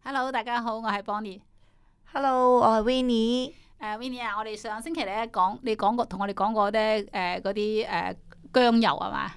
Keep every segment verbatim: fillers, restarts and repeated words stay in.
Hello，大家好，我係 Bonnie。Hello，我係 Winnie。誒 Winnie 啊，我哋上星期咧講，你講過同我哋講過咧誒嗰啲誒薑油係嘛？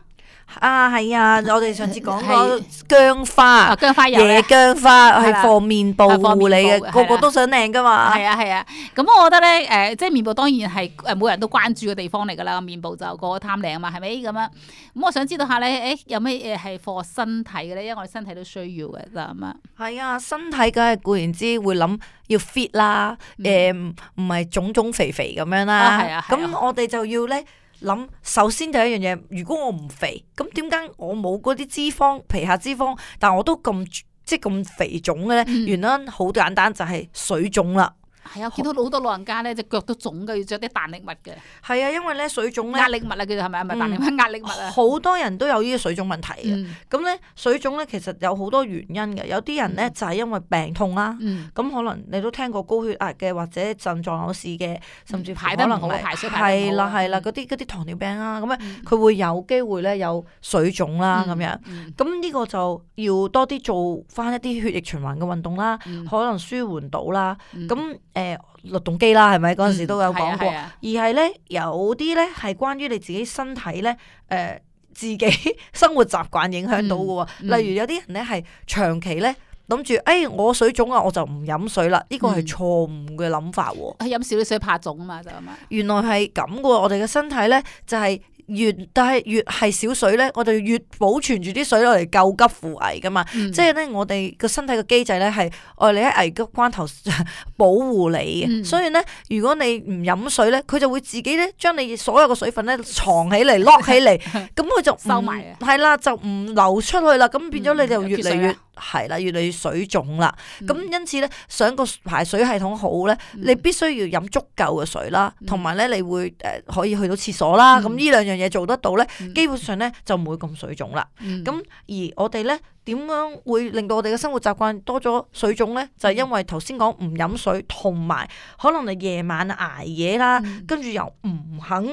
啊，係啊，我哋上次講過薑花，啊薑花油咧，野薑花係係啦放面部護理嘅，係啦個個都想靚噶嘛。係啊係啊，咁我覺得咧誒，即係面部當然係誒每人都關注嘅地方嚟㗎啦，面部就個個貪靚啊嘛，係咪咁樣？咁我想知道下咧，誒有咩嘢係 for 身體嘅咧？因為我哋身體都需要嘅就咁啊。係啊，身體梗係固然之會諗要 fit 啦，誒唔唔係腫腫肥肥咁樣啦。啊係啊係啊咁我哋就要咧。諗首先第一樣嘢，如果我唔肥，咁點解我冇嗰啲脂肪、皮下脂肪，但我都咁即係咁肥腫嘅咧？嗯原因好簡單，就係水腫啦。係啊，見到好多老人家咧隻腳都腫嘅，要着啲彈力襪嘅。係啊，因為咧水腫咧，壓力襪啊，叫做係咪啊？唔係彈力襪，壓力襪啊。好多人都有呢啲水腫問題嘅。嗯咁咧、水腫咧其實有好多原因嘅，有啲人咧就係因為病痛啦。嗯咁可能你都聽過高血壓嘅，或者腎臟有事嘅，甚至乎可能排得唔好，係排水排得唔好係啦係啦，嗯嗰啲嗰啲糖尿病啊，咁樣嗯佢會有機會咧有水腫啦咁樣。嗯咁呢個就要多啲做翻一啲血液循環嘅運動啦，嗯可能舒緩到啦。嗯咁誒律動機啦，係咪嗰陣時都有講過？係啊係啊而係咧有啲咧係關於你自己身體咧誒、呃自己生活習慣影響到嘅喎。嗯嗯例如有啲人咧係長期咧諗住，誒、哎、我水腫啊，我就唔飲水啦。呢個係錯誤嘅諗法喎。係飲少啲水怕腫啊嘛，就咁啊。原來係咁嘅喎，我哋嘅身體咧就係、越但係越係少水咧，我哋越保存住啲水落嚟救急扶危噶嘛。嗯即係咧，我哋個身體嘅機制咧係愛你喺危急關頭保護你嘅。嗯所以咧，如果你唔飲水咧，佢就會自己咧將你所有嘅水分咧藏起嚟、lock 起嚟，咁佢就唔收埋啊係啦，就唔流出去啦。咁變咗你就越嚟越嗯有缺水啦係啦，越嚟越水腫啦。嗯咁因此咧，想個排水系統好咧，嗯你必須要飲足夠嘅水啦，嗯同埋咧你會誒可以去到廁所啦。嗯咁呢兩樣嘢做得到咧，嗯基本上咧就唔會咁水腫啦。嗯咁而我哋咧點樣會令到我哋嘅生活習慣多咗水腫咧？就係因為頭先講唔飲水，同埋可能你夜晚捱夜啦，嗯跟住又唔肯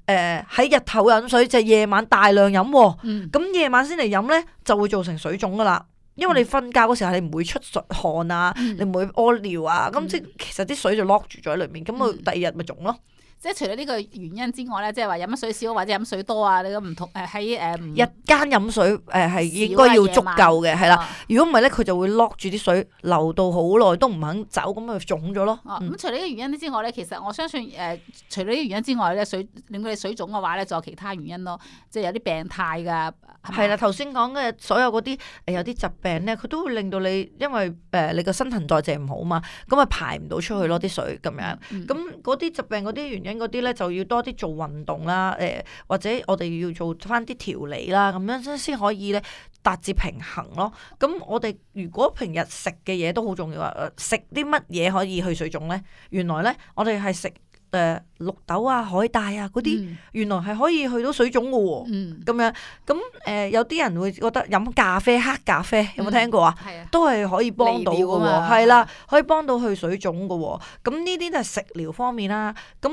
誒喺日頭飲水，就係夜晚大量飲喎。嗯咁夜晚先嚟飲咧，就會造成水腫噶啦。因為你瞓覺嗰時候你唔會出汗啊，嗯你唔會屙尿啊，咁嗯即係其實啲水就 lock 住咗喺裏面，咁佢嗯第二日咪腫咯。即係除咗呢個原因之外咧，即係話飲水少或者飲水多啊，你咁唔同誒喺誒唔日間飲水誒係應該要足夠嘅，係啦。啊如果唔係咧，佢就會 lock 住啲水，流到好耐都唔肯走，咁咪腫咗咯。哦，嗯咁除咗呢個原因之外咧，其實我相信誒、呃，除咗呢個原因之外咧，水令到你水腫嘅話咧，仲有其他原因咯，即係有啲病態㗎。係啦，頭先講嘅所有嗰啲誒有啲疾病咧，佢都會令到你因為誒、呃、你個新陳代謝唔好嘛，咁啊排唔到出去咯啲水咁樣。嗯咁嗰啲疾病嗰啲原因嗰啲咧，就要多啲做運動啦，誒、呃、或者我哋要做翻啲調理啦，咁樣先先可以咧達至平衡咯。咁我哋如果平日食嘅嘢都好重要啊，食啲乜嘢可以去水腫咧？原來咧我哋係食誒綠豆啊、海帶啊嗰啲，嗯原來係可以去到水腫嘅喎。嗯，咁樣咁誒、呃，有啲人會覺得飲咖啡、黑咖啡有冇聽過啊？係啊，都係可以幫到嘅利尿喎，啊嘛係啦，可以幫到去水腫嘅喎。咁呢啲都係食療方面啦。咁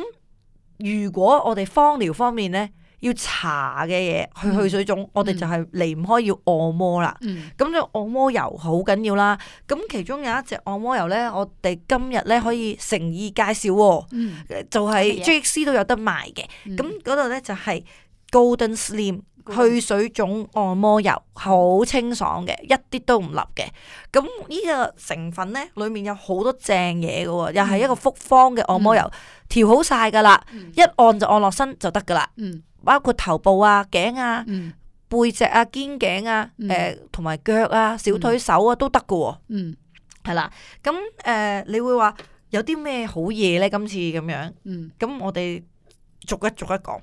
如果我哋芳療方面咧，要搽嘅嘢去去水腫，我哋就係離唔開要按摩啦。嗯咁就按摩油好緊要啦。咁其中有一隻按摩油咧，我哋今日咧可以誠意介紹喎，嗯，就係乜嘢 J X C 都有得賣嘅。嗯咁嗰度咧就係 Golden Slim 去水腫按摩油，好清爽嘅，一啲都唔立嘅。咁呢個成分咧，裡面有好多正嘢嘅喎，又係一個複方嘅按摩油，調好晒噶啦，嗯一按就按落身就得噶啦。嗯包括頭部啊、頸啊、嗯背脊啊、肩頸啊、嗯誒同埋腳啊、小腿手啊都得嘅喎。嗯係啦，咁誒、呃、你會話有啲咩好嘢咧？今次咁樣，嗯咁我哋逐一逐一講。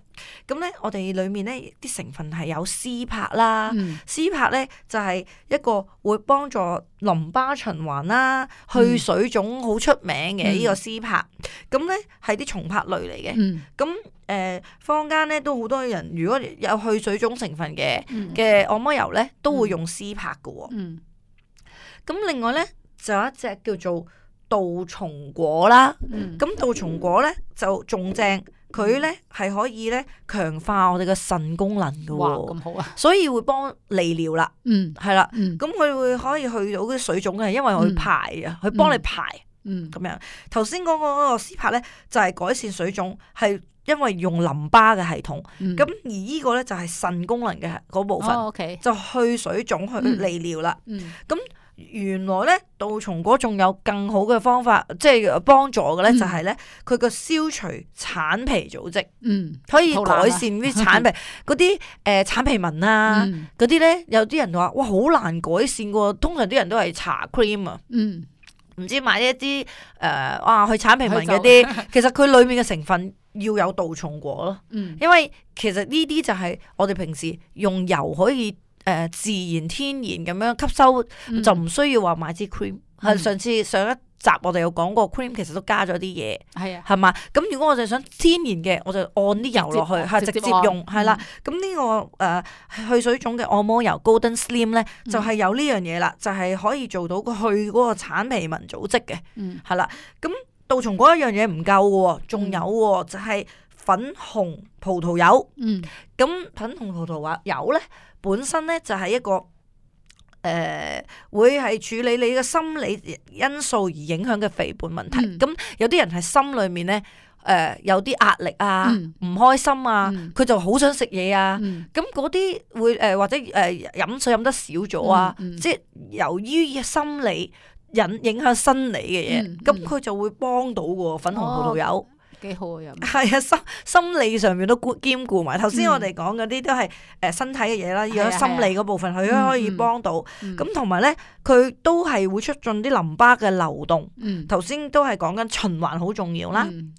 咁咧，我哋裡面咧啲成分係有絲柏啦，嗯絲柏咧就係、是、一個會幫助淋巴循環啦、去水腫好出名嘅呢、嗯個絲柏。咁咧係啲松柏類嚟嘅。嗯咁誒、呃、坊間咧都好多人，如果有去水腫成分嘅嗯嘅按摩油咧，都會用絲柏嘅喎。嗯咁另外咧就有一隻叫做杜松果啦。嗯咁杜松果咧就仲正，佢咧係可以咧強化我哋嘅腎功能嘅哇喎，咁好啊，所以會幫利尿啦，嗯係啦。嗯咁佢會可以去到啲水腫嘅，因為佢排啊，佢幫你排嗯咁樣。頭先講嗰個 C PAP 咧就係改善水腫，係因為用淋巴嘅系統。嗯咁而呢個咧就係腎功能嘅嗰部分，哦 OK 就去水腫去利尿啦。嗯原來咧杜松果仲有更好嘅方法，即係幫助嘅咧，嗯就係咧佢個消除橙皮組織，嗯可以肚腩啊改善啲橙皮嗰啲誒橙皮紋啊，嗯嗰啲咧有啲人話哇好難改善喎，通常啲人都係搽 cream 啊，嗯唔知買一啲誒哇去橙皮紋嗰啲，其實佢裡面嘅成分要有杜松果咯，嗯因為其實呢啲就係我哋平時用油可以。誒、呃、自然天然咁樣吸收，嗯就唔需要話買支 cream。係、嗯上次上一集我哋有講過 cream 其實都加咗啲嘢，係啊係嘛？咁如果我哋想天然嘅，我就按啲油落去，係直接用，係啦。咁呢、個誒、呃、去水腫嘅按摩油 Golden Slim 咧，嗯就係、有呢樣嘢啦，就係、可以做到個去嗰個橙皮紋組織嘅，嗯係啦。咁杜松果一樣嘢唔夠嘅喎，仲有喎，就係、粉紅葡萄柚。嗯咁粉紅葡萄柚咧，本身咧就係一個誒、呃，會係處理你嘅心理因素而影響嘅肥胖問題。嗯咁、有啲人係心裏面咧誒、呃、有啲壓力啊，唔、嗯開心啊，佢、嗯就好想食嘢啊。嗯咁嗰啲會誒、呃、或者誒飲、呃、水飲得少咗啊，嗯嗯即係由於心理引影響生理嘅嘢，嗯咁佢、就會幫到嘅粉紅葡萄柚。幾好啊，又係啊，心心理上面都顧兼顧埋。頭先嗯我哋講嗰啲都係誒身體嘅嘢啦，係啊如果心理嗰部分佢都可以幫到。嗯咁同埋咧，佢都係會促進啲淋巴嘅流動。嗯頭先都係講緊循環好重要啦，嗯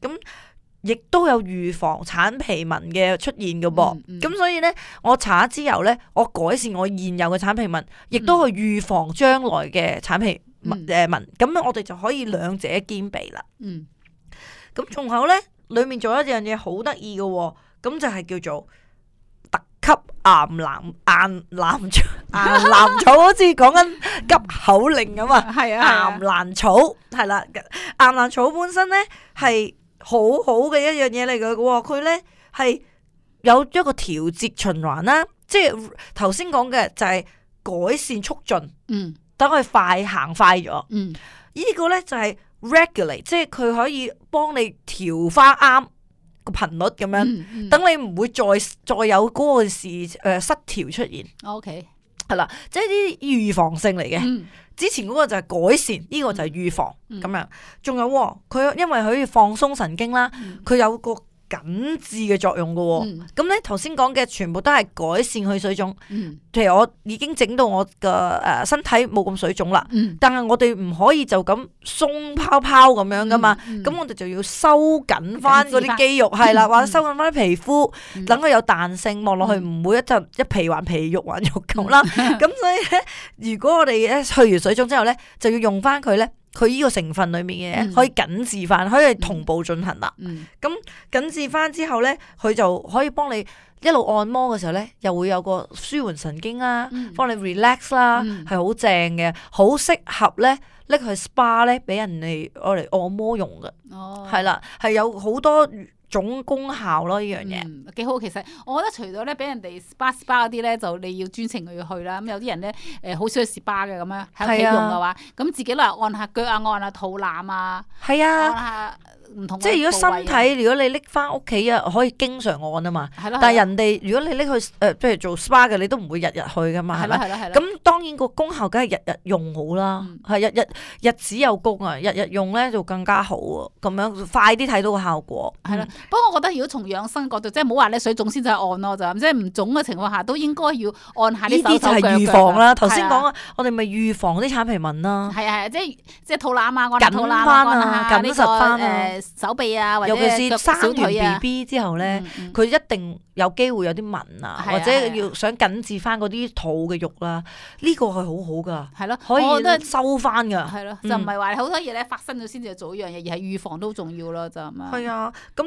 亦都有預防橙皮紋嘅出現嘅噃。嗯嗯咁所以咧，我搽咗之後咧，我改善我現有嘅橙皮紋，亦都去預防將來嘅橙皮紋嗯誒紋。咁樣我哋就可以兩者兼備啦。嗯咁仲有咧，裏面仲有一樣嘢好得意嘅喎，咁就係叫做特級岩蘭岩蘭草，岩蘭草好似講緊急口令咁啊！係岩啊蘭草係啦，岩蘭草本身咧係好好嘅一樣嘢嚟嘅喎，佢咧係有一個調節循環啦，即係頭先講嘅就係改善促進，嗯等佢快行快咗。嗯呢個咧就係 regulate，即係佢可以幫你調翻啱個頻率咁樣，嗯嗯等你唔會再再有嗰個事誒、呃、失調出現， OK 係啦，即係啲預防性嚟嘅。嗯之前嗰個就係改善，呢、個就係預防咁、嗯樣。仲有喎佢因為佢可以放鬆神經啦，嗯佢有個緊致嘅作用嘅喎。嗯咁咧頭先講嘅全部都係改善去水腫，嗯譬如我已經整到我嘅誒身體冇咁水腫啦。嗯但係我哋唔可以就咁鬆泡泡咁樣噶嘛，咁、嗯嗯我哋就要收緊翻嗰啲肌肉，係啦，嗯或者收緊翻啲皮膚，嗯等佢有彈性，望落去唔會一陣一皮還皮肉還肉咁啦。咁、所以咧，如果我哋咧去完水腫之後咧，就要用翻佢咧，佢呢個成分裡面嘅嘢、嗯可以緊致翻，可以同步進行啦。嗯緊致翻之後咧，佢就可以幫你一路按摩嘅時候咧，又會有個舒緩神經啦，嗯幫你 relax 啦，嗯係好正嘅，好適合咧拎去 spa 咧，俾人哋攞嚟按摩用嘅，哦係啦，係有好多種功效咯，呢樣嘢。嗯，幾好。其實我覺得除咗咧俾人哋 spa spa 嗰啲咧，就你要專程去去啦。咁有啲人咧誒好少去 spa 嘅咁樣喺屋企係啊用嘅話，咁自己落嚟按下腳啊，按下肚腩啊，係按啊，下唔同嘅即係如果身部位啊體，如果你拎翻屋企啊，可以經常按啊嘛。係咯，但係係咯人哋如果你拎去誒，呃譬如做 spa 嘅，你都唔會日日去噶嘛，係咪？係咯係咯係咯，咁當然個功效梗係日日用好啦，嗯係、日日日子有功啊，日日用咧就更加好啊，咁樣快啲睇到個效果。係啦嗯。不過我覺得如果從養生角度，即係唔好話咧水腫先至係按咯，就咁即係唔腫嘅情況下，都應該要按下啲手呢啲就係手腳預防啦。頭腳係啊先講啊，我哋咪預防啲橙皮紋啦。係啊係啊，即係即係肚腩啊，按下肚腩緊返啊按下呢個緊實返啊誒手臂啊，或者尤其腳是生完小腿啊 B B 之後咧，嗯嗯佢、一定有機會有啲紋啊，係啊或者係啊要想緊致翻嗰啲肚嘅肉啦。呢、個係好好噶，係咯，可我覺得以收翻噶。係咯，嗯就唔係話好多嘢咧發生咗先至做呢樣嘢，而係預防都重要咯，就咁樣。係啊，咁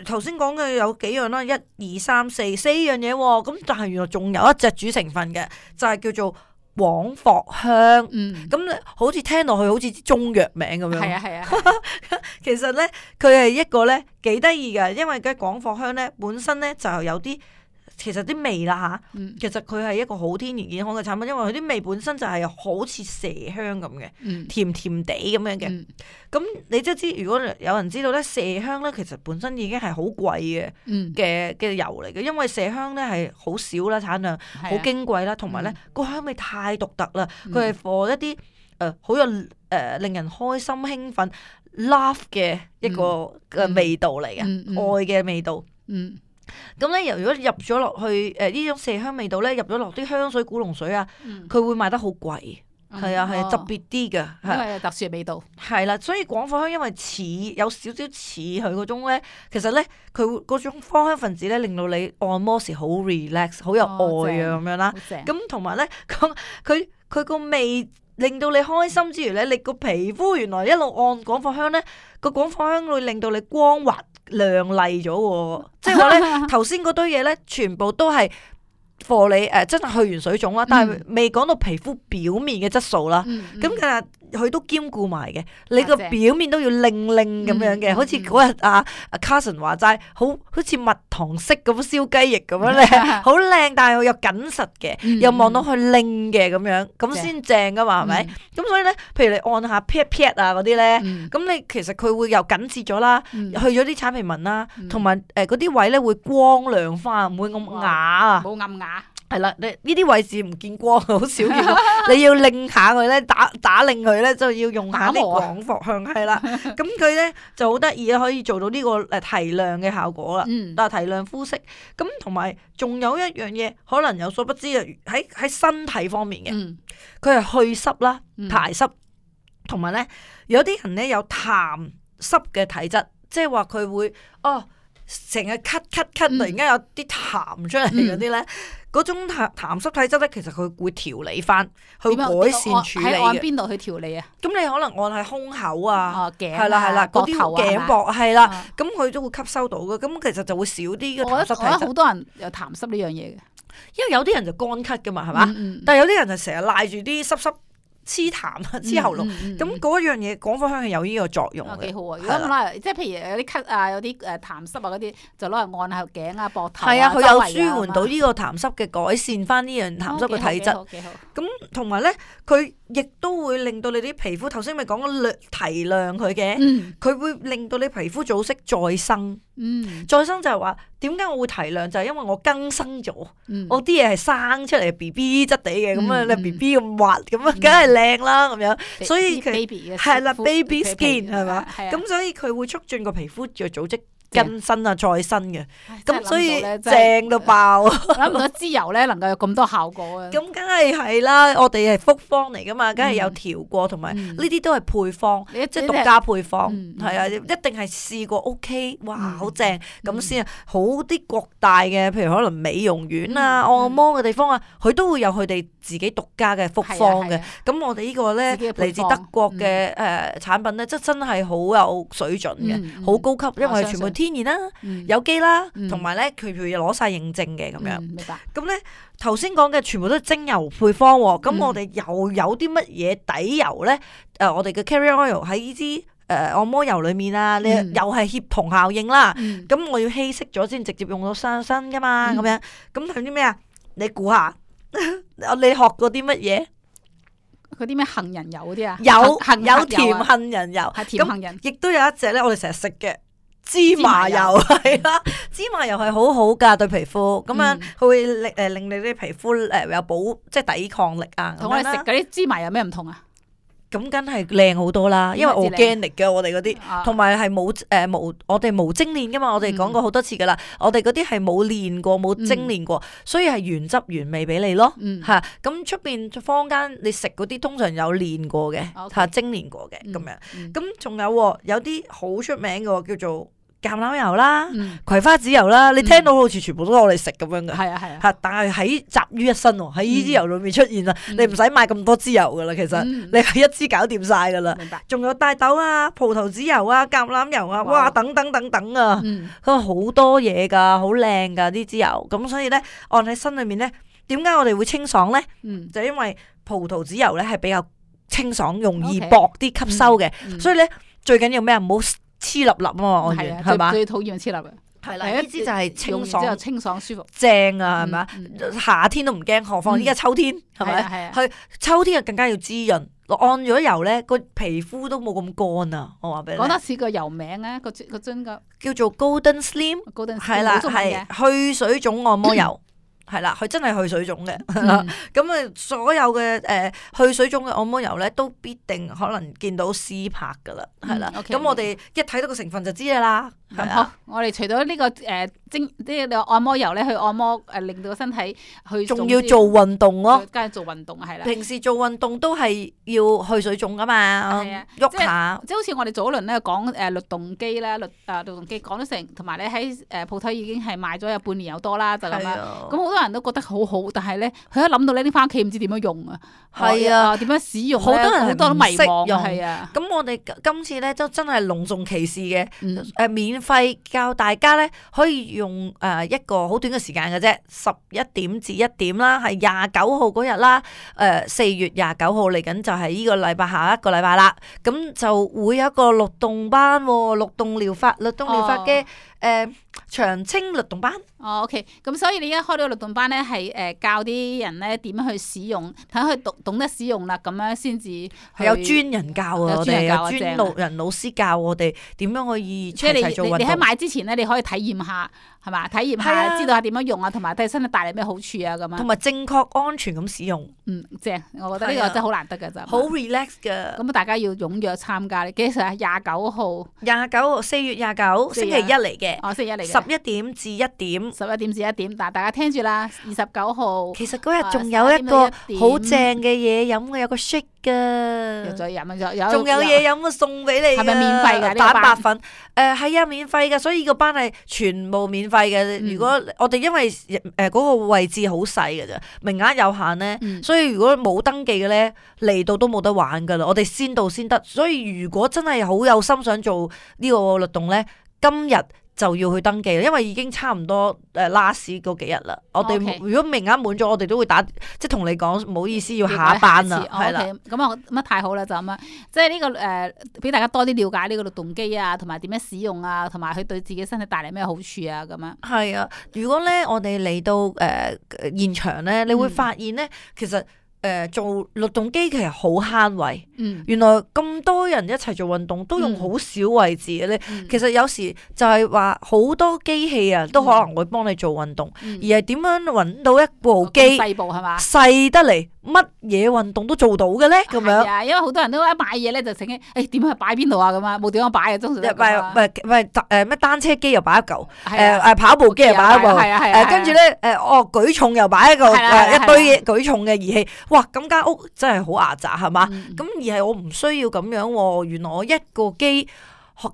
頭先講嘅有幾樣啦，一二三四四樣嘢喎，咁但係原來仲有一隻主成分嘅，就係、叫做廣藿香。嗯，咁咧好似聽落去好似啲中藥名咁樣。係啊係啊，係啊其實咧佢係一個咧幾得意嘅，因為嘅廣藿香咧本身咧就有啲。其實啲味啦嚇，嗯其實佢係一個好天然健康嘅產品，因為佢啲味本身就係好似麝香咁嘅，嗯甜甜地咁樣嘅。嗯咁你即係知，如果有人知道咧，麝香咧其實本身已經係好貴嘅嗯，嘅嘅油嚟嘅，因為麝香咧係好少啦，產量好係啊矜貴啦，同埋咧嗯個香味太獨特啦，嗯佢係 for 一啲誒好有誒、呃、令人開心興奮 love 嘅一個嘅味道嚟嘅，嗯嗯愛嘅味道。嗯咁咧，由如果入咗落去誒呢種麝香味道咧，入咗落啲香水、古龍水啊，嗯，佢會賣得好貴，係啊係啊，特別啲嘅，因係為有特殊嘅味道。係啦，所以廣藿香因為似有少少似佢嗰種咧，其實咧佢會嗰種芳香分子咧，令到你按摩時好 relax，好有愛啊咁樣啦。好正。咁同埋咧，佢佢佢個味令到你開心之餘咧，你個皮膚原來一路按廣藿香咧，個廣藿香會令到你光滑亮麗咗喎。即係話咧，頭先嗰堆嘢咧，全部都係 for 你誒、呃，真係去完水腫啦，但係未講到皮膚表面嘅質素啦。嗯嗯咁其實佢都兼顧埋嘅，你個正表面都要靚靚咁樣嘅，嗯好似嗰日阿阿 Carson 話齋，好好似蜜糖式咁燒雞翼咁樣咧，好靚，但係又緊實嘅，嗯又望到佢靚嘅咁樣，咁先正噶嘛，係咪？咁所以咧，譬如你按下 pat pat 啊嗰啲咧，嗯咁你其實佢會又緊緻咗啦，嗯去咗啲橙皮紋啦，嗯同埋誒嗰啲位咧會光亮翻，唔會咁啞啊。冇暗啞。係啦，你呢啲位置唔見光，好少見光。你要擰下佢咧，打打擰佢咧，就要用下啲打磨廣藿香，係啦。咁佢咧就好得意啦，可以做到呢個誒提亮嘅效果啦。嗯嗱，提亮膚色。咁同埋仲有一樣嘢，可能有所不知啊，喺喺身體方面嘅，嗯佢係去濕啦、嗯排濕，同埋咧有啲人咧有痰濕嘅體質，即係話佢會哦成日咳咳咳，嗯突然間有啲痰出嚟嗰啲咧。嗰種痰痰濕體質咧，其實佢會調理翻，去點樣改善處理喺按嘅。邊度去調理啊？咁你可能按喺胸口啊，哦，頸啊係啦係啦，嗰啲膊頭啊頸係嘛膊係啦啊，咁佢都會吸收到嘅。咁其實就會少啲嘅痰濕我覺得我覺得體質，好多人有痰濕呢樣嘢嘅，因為有啲人就乾咳噶嘛，係嘛？嗯嗯但係有啲人就成日賴住啲濕濕黐痰啊，黐喉嚨。嗯嗯嗯咁嗰樣嘢廣藿香係有呢個作用嘅。啊幾好啊！如係啦果咁啦，即係譬如有啲咳啊，有啲誒痰濕啊嗰啲，就攞嚟按下頸啊、膊頭係啊，佢有周圍啊舒緩到呢個痰濕嘅，改善翻呢樣痰濕嘅體質。哦幾好幾好咁同埋咧，佢亦都會令到你啲皮膚，頭先咪講咗亮提亮佢嘅，嗯佢會令到你皮膚組織再生。嗯再生就係話點解我會提亮，就係因為我更生咗，嗯，我啲嘢係生出嚟 B B 質地嘅，咁啊嗯你 B B 咁滑，咁啊梗係靚啦咁樣。所以佢 baby 嘅係啦膚，baby 皮 skin 係嘛？係啊咁所以佢會促進個皮膚嘅組織更新啊、再生嘅。唉真係咁所以諗到咧真係正到爆。諗唔到支油咧能夠有咁多效果啊！咁梗係係啦，我哋係複方嚟噶嘛，梗係有調過，同埋嗯呢啲都係配方，你一即係獨家配方，嗯係啊，一定係試過 OK，哇，嗯好正咁先啊！好啲國大嘅，譬如可能美容院啊、嗯按摩嘅地方啊，佢都會有佢哋自己獨家嘅複方嘅係啊係啊。咁我哋呢個咧自己嘅配方嚟自德國嘅誒產品咧，即係真係好有水準嘅，嗯嗯好高級，因為我相全部信天然啦、嗯有機啦，嗯同埋咧佢佢攞晒認證嘅咁樣。嗯明白。咁咧頭先講嘅全部都係精油配方喎，咁、嗯我哋又有啲乜嘢底油咧？誒、呃，我哋嘅 carrier oil 喺呢支誒按摩油裡面啊，你嗯又係協同效應啦。嗯咁、我要稀釋咗先直接用到上身噶嘛，咁、嗯樣咁係啲咩啊？你估下，你學過啲乜嘢？嗰啲咩杏仁油嗰啲啊？有杏有甜杏油啊杏仁油，係甜咁杏仁。亦都有一隻咧，我哋成日食嘅。芝麻油芝麻油係啦，芝麻油係好好噶對皮膚，咁樣嗯佢會令誒令你啲皮膚誒有保即係抵抗力啊。同我哋咁樣啦食嗰啲芝麻有咩唔同啊？咁梗係靚好多啦，因為點為之靚 organic 嘅我哋嗰啲，啊同埋係冇誒無我哋無精煉噶嘛，我哋講過好多次噶啦，我哋嗰啲係冇煉過冇精煉過，所以係原汁原味俾你咯，嗯嚇。咁出邊坊間你食嗰啲通常有煉過嘅， OK 嚇精煉過嘅嗯咁樣。嗯咁仲有喎有啲好出名嘅喎叫做橄欖油啦、嗯葵花籽油啦，你聽到好似全部都係我哋食咁樣嘅。係啊係啊。嚇！但係喺集於一身喎，喺呢支油裏面出現啦，嗯你唔使買咁多支油噶啦，其實、嗯你係一支搞掂晒噶啦。明白。仲有大豆啊、葡萄籽油啊、橄欖油啊，哇哇！等等等等啊，嗯佢好多嘢噶，好靚噶呢支油。咁所以咧，按喺身裏面咧，點解我哋會清爽咧？嗯，就因為葡萄籽油咧係比較清爽，容易 OK 薄啲吸收嘅，嗯所以咧最緊要咩啊？唔好黐立立啊嘛，我係啊，係嘛？最最討厭黐立嘅。係啦，呢支就係清爽用完之後清爽舒服。正啊，係咪？嗯嗯夏天都唔驚，何況依家秋天係咪？係啊係啊去秋天啊更加要滋潤。按咗油咧，個皮膚都冇咁乾啊！我話俾你聽，講得似個油名啊，個個樽個叫做 Golden Slim，高登係啦，係去水腫按摩油。係啦，佢真係去水腫嘅，咁啊、嗯、所有嘅誒、呃、去水腫嘅按摩油咧，都必定可能見到 C 拍噶啦，係啦，咁、嗯 okay, 我哋一睇到個成分就知噶啦。咁好，我哋除咗呢、這個誒、呃、精呢個按摩油咧，去按摩誒、呃、令到個身體去，仲要做運動咯，梗係做運動係啦。平時做運動都係要去水腫噶嘛，喐下。即係好似我哋早輪咧講誒律動機啦，律誒律動機講咗成，同埋咧喺誒鋪頭已經係賣咗有半年有多啦，就咁啦。咁好多人都覺得好好，但係咧佢一諗到呢啲翻屋企唔知點樣用啊。係啊，點樣使用好多人好多都迷茫用係啊。咁我哋今次咧都真係隆重其事嘅，誒、嗯呃、免費教大家咧可以用誒、呃、一個好短嘅時間嘅啫，十一點至一點啦，係廿九號嗰日啦，誒、呃、四月廿九號嚟緊就係呢個禮拜下一個禮拜啦，咁就會有一個律動班，律動療法、律動療法嘅誒長青律動班。哦 OK，咁所以你而家開到個律動班咧，係誒教啲人咧點樣去使用，睇佢懂懂得使用啦，咁樣先至係有專人教啊，我哋有專專路人老師教我哋點樣可以即係你齊齊做運動。你喺買之前咧，你可以體驗下，係嘛？體驗下，啊、知道下點樣用啊，同埋對身體帶嚟咩好處啊，咁樣。同埋正確安全咁使用。嗯，正，我覺得呢個真係好難得嘅就。好 relax 㗎。咁大家要踴躍參加。你幾時啊？廿九號。廿九號，四月廿九，星期一嚟嘅。哦，星期一嚟嘅。十一點至一點。十一點至一點，但係大家聽住啦，二十九號。其實嗰日仲有一個好正嘅嘢飲嘅，有個 shake 㗎。又再飲啊！有仲有嘢飲啊，送俾你。係咪免費㗎？蛋白粉。誒係啊，免費㗎，所以個班係全部免費嘅。如果我哋因為誒嗰個位置好細㗎咋，名額有限咧，所以如果冇登記嘅咧，嚟到都冇得玩㗎啦。我哋先到先得，所以如果真係好有心想做呢個律動咧，今日就要去登記，因為已經差唔多誒 last 嗰幾日啦。我哋 Okay. 如果名額滿咗，我哋都會打，即係同你講唔好意思，要下班啦，係啦。咁啊，乜太好啦，就咁樣，即係呢個誒，俾大家多啲了解呢個律動機啊，同埋點樣使用啊，同埋佢對自己身體帶嚟咩好處啊，咁樣。係啊，如果咧我哋嚟到誒、呃、現場咧，你會發現咧，嗯、其實。誒、呃，做律動機其實好慳位，嗯、原來咁多人一齊做運動都用好少位置嘅咧。嗯、其實有時就係話好多機器啊，都可能會幫你做運動，嗯、而係點樣搵到一部機細部係嘛，細得嚟乜嘢運動都做到嘅咧？咁樣，啊，因為好多人都一買嘢咧就醒起，誒點樣擺邊度啊咁啊，冇點樣擺啊，通常都係咁啊。唔係唔係誒咩單車機又擺一嚿，誒誒跑步機又擺一部，誒跟住咧誒哦舉重又擺一個誒一堆嘢舉重嘅儀器。哇！咁間屋真係好牙雜係嘛？咁、嗯、而係我唔需要咁樣喎。原來我一個機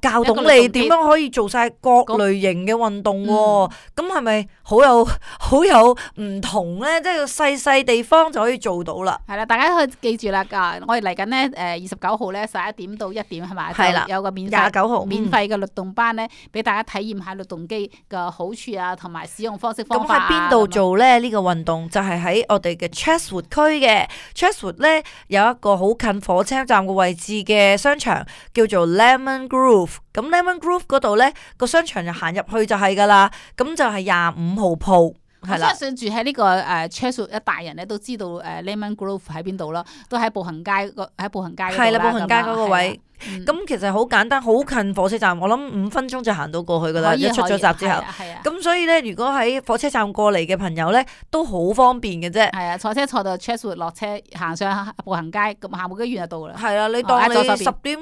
教懂你點樣可以做晒各類型嘅運動喎。咁係咪好有好有唔同咧？即係細細地方就可以做到啦。係啦，大家可以記住啦。啊，我哋嚟緊咧誒二十九號咧十一點到一點係咪？係啦，有個免費廿九號免費嘅律動班咧，俾、嗯、大家體驗下律動機嘅好處啊，同埋使用方式方法啊。咁喺邊度做咧？呢、呢個運動就係喺我哋嘅 Chatswood 區嘅 Chatswood 咧，有一個好近火車站嘅位置嘅商場，叫做 Lemon Grove。咁 Lemon Grove 嗰度咧，個商場就行入去就係噶啦，咁就係廿五號鋪，係啦。我相信住喺呢個誒 Chatswood 一大人咧都知道誒 Lemon Grove 喺邊度咯，都喺步行街個喺步行街嗰度啦。係啦，步行街嗰個位。咁、嗯、其實好簡單，好近火車站，我諗五分鐘就行到過去噶啦。一出咗閘之後，咁所以咧，如果喺火車站過嚟嘅朋友咧，都好方便嘅啫。係啊，坐車坐到 Chatswood 落車，行上步行街，咁行冇幾遠就到啦。係啦，你當你十點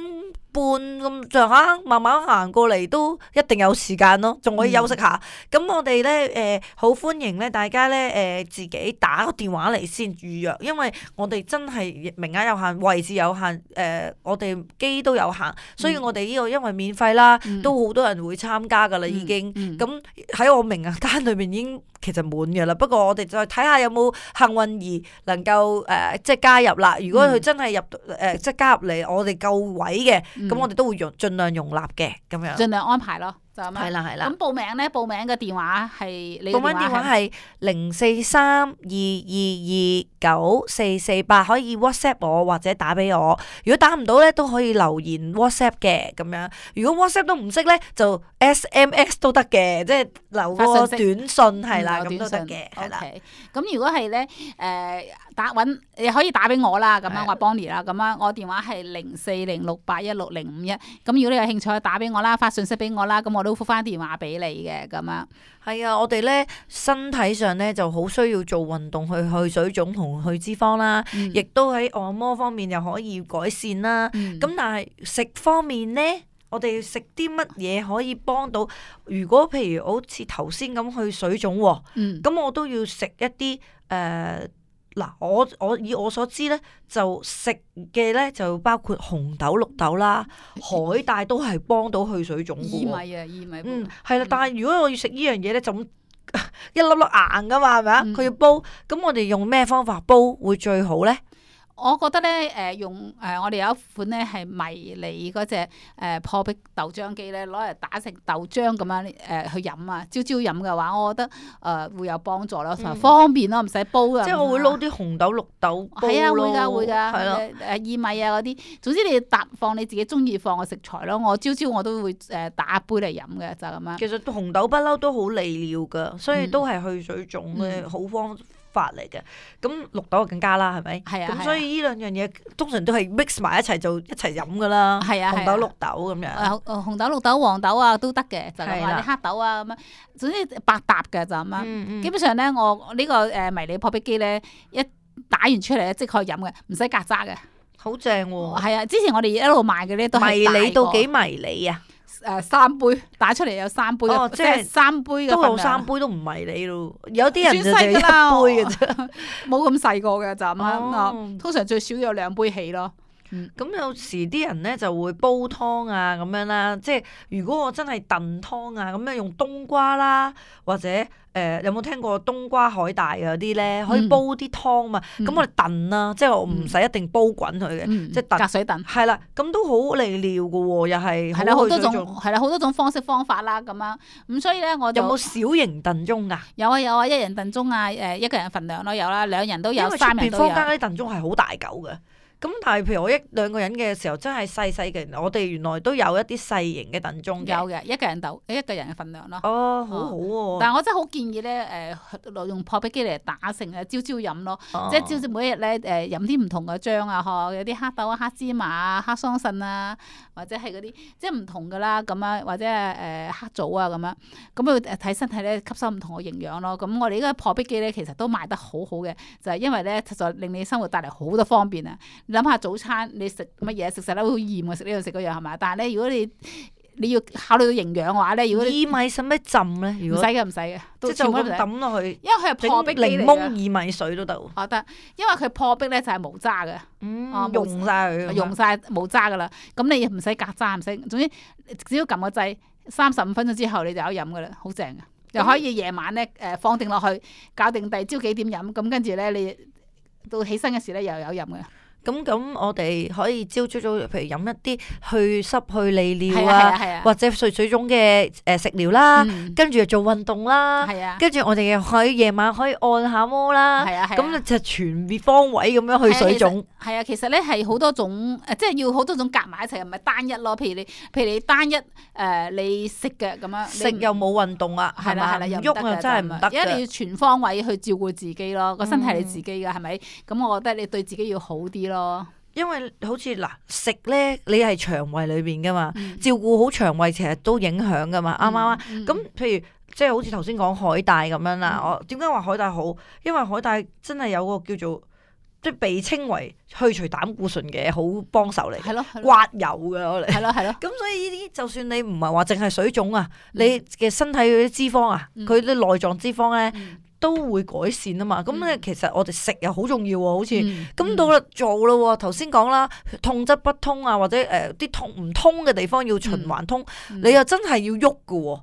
半咁上下，慢慢行過嚟都一定有時間咯，仲可以休息下。咁、嗯、我哋咧誒好歡迎咧，大家咧誒、呃、自己打個電話嚟先預約，因為我哋真係名額有限，位置有限，誒、呃、我哋機都有限，所以我哋呢個因為免費啦，嗯、都好多人會參加噶啦，已經。咁喺、嗯嗯、我名額單裏面已經其實滿嘅啦，不過我哋再睇下有冇幸運兒能夠誒、呃、即係加入啦。如果佢真係入誒、呃、即係加入嚟，我哋夠位嘅。咁、嗯、我哋都會容盡量容納嘅，咁樣盡量安排咯。就咁樣。係啦係啦。咁報名咧，報名嘅電話係你嘅報名電話係零四三二二二九四四八，可以 WhatsApp 我或者打俾我。如果打唔到咧，都可以留言 WhatsApp 嘅咁樣。如果 WhatsApp 都唔識咧，就 S M S 都得嘅，即係留個短信係啦，咁都得嘅，係啦。咁如果係咧，誒打揾你可以打俾我啦，咁樣我係 Bonnie 啦，咁樣我電話係零四零六八一六零五一。咁如果你有興趣，打俾我啦，發信息俾我啦，咁我都覆翻電話俾你嘅咁樣。係啊，我哋咧身體上咧就好需要做運動去去水腫同去脂肪啦，亦、嗯、都喺按摩方面又可以改善啦。咁、嗯、但係食方面咧，我哋食啲乜嘢可以幫到？如果譬如好似頭先咁去水腫，咁、嗯、我都要食一啲誒嗱，我我以我所知咧，就食嘅咧就包括紅豆、綠豆啦，海帶都係幫到去水腫嘅。薏米啊，薏米。嗯，係啦，但係如果我要食呢樣嘢咧，就咁一粒粒硬噶嘛，係咪啊？佢、嗯、要煲，咁我哋用咩方法煲會最好咧？我覺得咧，誒、呃、用誒、呃、我哋有一款咧係迷你嗰隻誒破壁豆漿機咧，攞嚟打成豆漿咁樣誒、呃、去飲啊！朝朝飲嘅話，我覺得誒、呃、會有幫助咯，嗯、方便咯，唔使煲啊。即係我會撈啲紅豆、綠豆煲咯。係啊，會㗎會㗎。係咯。誒薏米啊嗰啲，總之你搭放你自己中意放嘅食材咯。我朝朝我都會誒打一杯嚟飲嘅，就咁樣。其實紅豆不嬲都好利尿㗎，所以都係去水腫嘅好方法嚟嘅，咁綠豆更加啦，係咪？係啊，咁所以呢兩樣嘢通常都係 mix 埋一齊就一齊飲噶啦。係啊，紅豆、綠豆咁樣。誒，紅豆、綠豆、黃豆啊都得嘅，就係話啲黑豆啊咁樣，總之百搭嘅就咁樣。嗯嗯、基本上咧，我呢個誒迷你破壁機咧，一打完出嚟咧即可以飲嘅，唔使隔渣嘅。好正喎！係啊，之前我哋一路賣嘅咧都係迷你到幾迷你啊？誒、呃、三杯打出嚟有三杯，哦、即係三杯嘅份量。都有三杯都唔迷你咯，有啲人就係一杯嘅啫，冇咁細個嘅就咁樣。通常最少有兩杯起咯。咁、嗯、有時啲人咧就會煲湯啊咁樣啦，即係如果我真係燉湯啊咁樣用冬瓜啦，或者誒、呃、有冇聽過冬瓜海帶嗰啲咧，可以煲啲湯嘛？咁、嗯、我哋燉啦，即係我唔使一定煲滾佢嘅，嗯、即係燉隔水燉。係啦，咁都好利尿㗎喎，又係係啦，好多種係啦，好多種方式方法啦咁樣。咁所以咧，我就有冇小型燉盅㗎？有啊有啊，一人燉盅啊，誒一個人份量都有啦，兩人都有，三人都有。因為出邊坊間啲燉盅係好大嚿嘅。咁但係譬如我一兩個人嘅時候，真係細細嘅，我哋原來都有一啲細型嘅燉盅嘅。有嘅，一個人豆，一個人嘅份量咯。哦，好好喎。但係我真係好建議咧，誒用破壁機嚟打成誒朝朝飲咯，即係朝朝每一日咧誒飲啲唔同嘅漿啊，嗬，有啲黑豆啊、黑芝麻啊、黑桑葚啊，或者係嗰啲即係唔同㗎啦，咁樣或者係誒黑棗啊咁樣，咁佢睇身體咧吸收唔同嘅營養咯。咁我哋呢個破壁機咧其實都賣得好好嘅，就係因為咧實在令你生活帶嚟好多方便啊！諗下早餐你食乜嘢食食得好厭啊，食呢樣食嗰樣係咪？但係咧，如果你你要考慮到營養嘅話咧，如果薏米使咩浸咧？如果唔使嘅，唔使嘅，即係就咁抌落去。因為佢係破壁檸檬薏米水都得。我得，因為佢破壁咧就係無渣嘅，嗯，溶晒佢，溶晒冇渣噶啦。咁你唔使隔渣，唔使，總之只要撳個掣，三十五分鐘之後你就有飲噶啦，好正嘅。又可以夜晚咧誒放定落去，搞定第二朝幾點飲，咁跟住咧你到起身嘅時咧又有飲嘅。咁咁，我哋可以朝朝早，譬如飲一啲去濕去利尿啊，啊啊或者水水腫嘅誒食療啦，嗯、跟住又做運動啦，啊、跟住我哋又可以夜晚可以按下摩啦，咁、啊、就全面方位咁樣去水腫。係啊，其實咧係好多種誒，即係要好多種夾埋一齊，唔係單一咯。譬如你，譬如你單一誒、呃，你食嘅咁樣，食又冇運動啊，係啦係啦，又喐啊真係唔得。因為你要全方位去照顧自己咯，個身體係你自己嘅，係咪、嗯？咁我覺得你對自己要好啲咯。因為好似嗱食咧，你係腸胃裏邊噶嘛，嗯、照顧好腸胃其實都影響噶嘛，啱唔啱啊？咁、嗯、譬如即係好似頭先講海帶咁樣啦，嗯、我點解話海帶好？因為海帶真係有個叫做即係被稱為去除膽固醇嘅好幫手嚟，係咯，刮油嘅我哋，係咯係咯。咁所以呢啲就算你唔係話淨係水腫啊，嗯、你嘅身體嗰啲脂肪啊，佢啲內臟脂肪咧。嗯都會改善啊嘛，咁咧、嗯、其實我哋食又好重要喎，好似咁、嗯、到啦做啦喎，頭先講啦，痛則不通啊，或者誒啲、呃、痛唔通嘅地方要循環通，嗯、你又真係要喐㗎喎，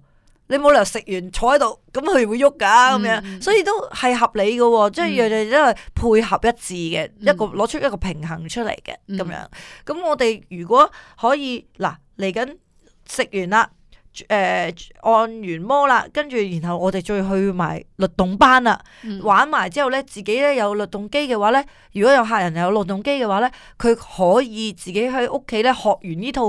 你冇理由食完坐喺度，咁佢會喐㗎咁樣，嗯、所以都係合理嘅喎，即係樣樣都係配合一致嘅，嗯、一個攞出一個平衡出嚟嘅咁樣。咁我哋如果可以嗱嚟緊食完啦。誒、呃、按完摩啦，跟住然後我哋再去埋律動班啦，嗯、玩埋之後咧，自己咧有律動機嘅話咧，如果有客人有律動機嘅話咧，佢可以自己喺屋企咧學完呢套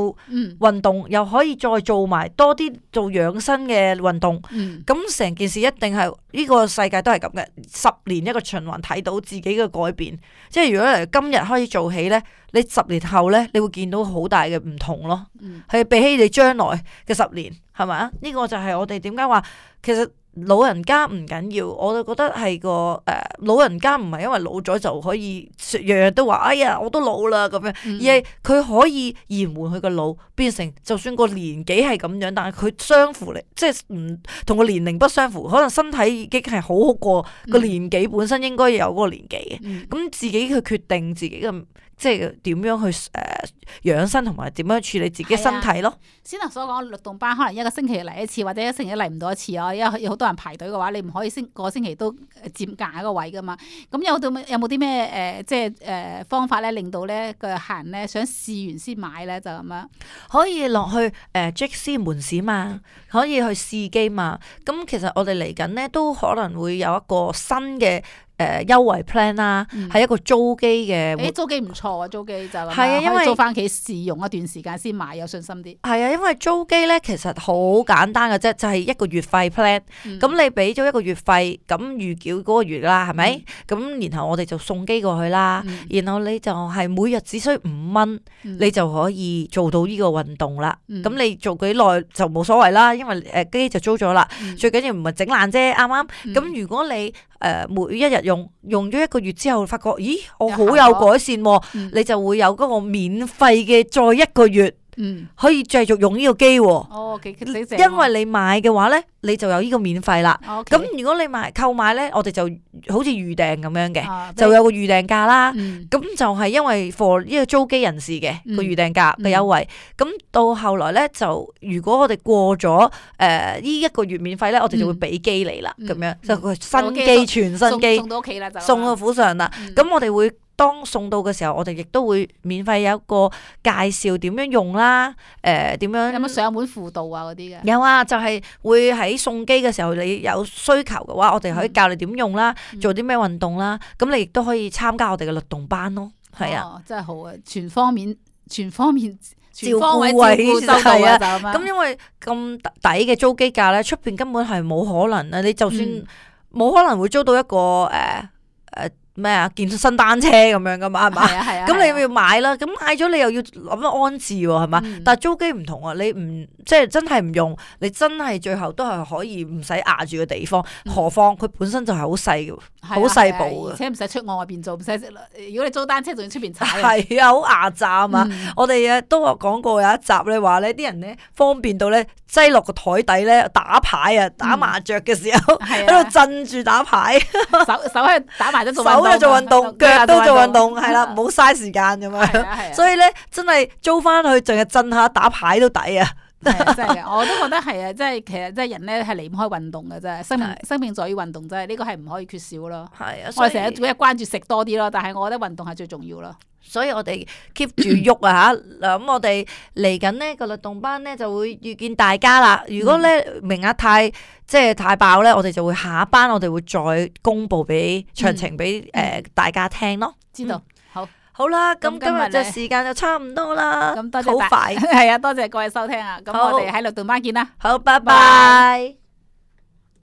運動，嗯、又可以再做埋多啲做養生嘅運動。咁成、嗯、件事一定係呢、呢個世界都係咁嘅，十年一個循環，睇到自己嘅改變。即係如果嚟今日開始做起咧，你十年後咧，你會見到好大嘅唔同咯。係、嗯、比起你將來嘅十年，係咪啊？呢、呢個就係我哋點解話，其實老人家唔緊要，我就覺得係個誒、呃，老人家唔係因為老咗就可以日日都話，哎呀，我都老啦咁樣，嗯、而係佢可以延緩佢個老，變成就算個年紀係咁樣，但係佢相符嚟，即係唔同個年齡不相符，可能身體已經係好好過個年紀本身應該有嗰個年紀嘅，咁、嗯、自己去決定自己嘅。即係點樣去誒、呃、養生同埋點樣處理自己身體咯？先頭所講律動班可能一個星期嚟一次，或者一個星期嚟唔到一次啊，因為有好多人排隊嘅話，你唔可以星個星期都佔隔一個位噶嘛。咁有到有冇啲咩誒即係誒、呃、方法咧，令到咧個客人咧想試完先買咧就咁樣？可以落去誒 J C 門市嘛，可以去試機嘛。咁其實我哋嚟緊咧都可能會有一個新嘅。誒優惠 plan 啦，係一個租機嘅。誒租機唔錯啊，租機就係啊，因為租翻屋企試用一段時間先買，有信心啲。係啊，因為租機咧其實好簡單嘅啫，就係一個月費 plan。咁你俾咗一個月費，咁預繳嗰個月啦，係咪？咁然後我哋就送機過去啦。然後你就係每日只需五蚊，你就可以做到呢個運動啦。咁你做幾耐就冇所謂啦，因為誒機就租咗啦。最緊要唔係整爛啫，啱啱？咁如果你誒每一日用用咗一個月之後，發覺咦我好有改善喎，嗯、你就會有嗰個免費嘅再一個月，嗯、可以繼續用呢個機喎。哦，幾幾正。因為你買嘅話咧，你就有呢個免費啦。咁、哦 okay、如果你買購買咧，我哋就好似預訂咁樣嘅，啊、就有個預訂價啦。咁、嗯、就係因為 for 呢個租機人士嘅個預訂價嘅優惠。咁、嗯、到後來咧，就如果我哋過咗誒呢一個月免費咧，我哋就會俾機你啦。咁、嗯、樣、嗯、就個新機、嗯、全新機送到屋企啦，就送到府上啦。咁、嗯、我哋會。當送到嘅時候，我哋亦都會免費有一個介紹點樣用啦，誒、呃、點樣有冇上門輔導啊嗰啲嘅？有啊，就係、是、會喺送機嘅時候，你有需求嘅話，我哋可以教你點用啦，嗯、做啲咩運動啦，咁你亦都可以參加我哋嘅律動班咯。係啊、哦，真係好啊，全方面、全方面、全方位照顧收到啊！咁因為咁抵嘅租機價咧，出邊根本係冇可能啊！你就算冇、嗯、可能會租到一個誒誒。呃呃咩啊？健身單車咁樣噶嘛，係嘛？咁、啊啊、你要買啦，咁買咗你又要諗得安置喎，係嘛？嗯、但係租機唔同啊，你唔即係真係唔用，你真係最後都係可以唔使壓住個地方。嗯、何況佢本身就係好細嘅，好細部嘅，而且唔使出外外邊做，唔使如果你租單車仲要出邊踩。係啊，好壓榨啊嘛！嗯、我哋啊都講過有一集咧，話咧啲人咧方便到咧擠落個台底咧打牌啊，打麻雀嘅時候喺度震住打牌，手手喺度打埋咗做運動。做運動，腳都做運動，係啦，唔好嘥時間咁樣。所以咧，真係租翻去，淨係震下打牌都抵啊！真係嘅，我都覺得係啊，即係其實即係人咧係離唔開運動嘅啫，生命生命在於運動，真係呢個係唔可以缺少咯。係啊，我哋成日每日關注食多啲咯，但係我覺得運動係最重要咯。所以我哋 keep 住喐啊嚇，嗱咁我哋嚟緊呢個律動班咧就會遇見大家啦。如果咧名額太即係太爆咧，我哋就會下一班我哋會再公佈俾詳情俾誒大家聽咯。知道，好，好啦，咁今日嘅時間就差唔多啦。咁多謝，好快，係啊，多謝各位收聽啊。咁我哋喺律動班見啦。好，拜拜。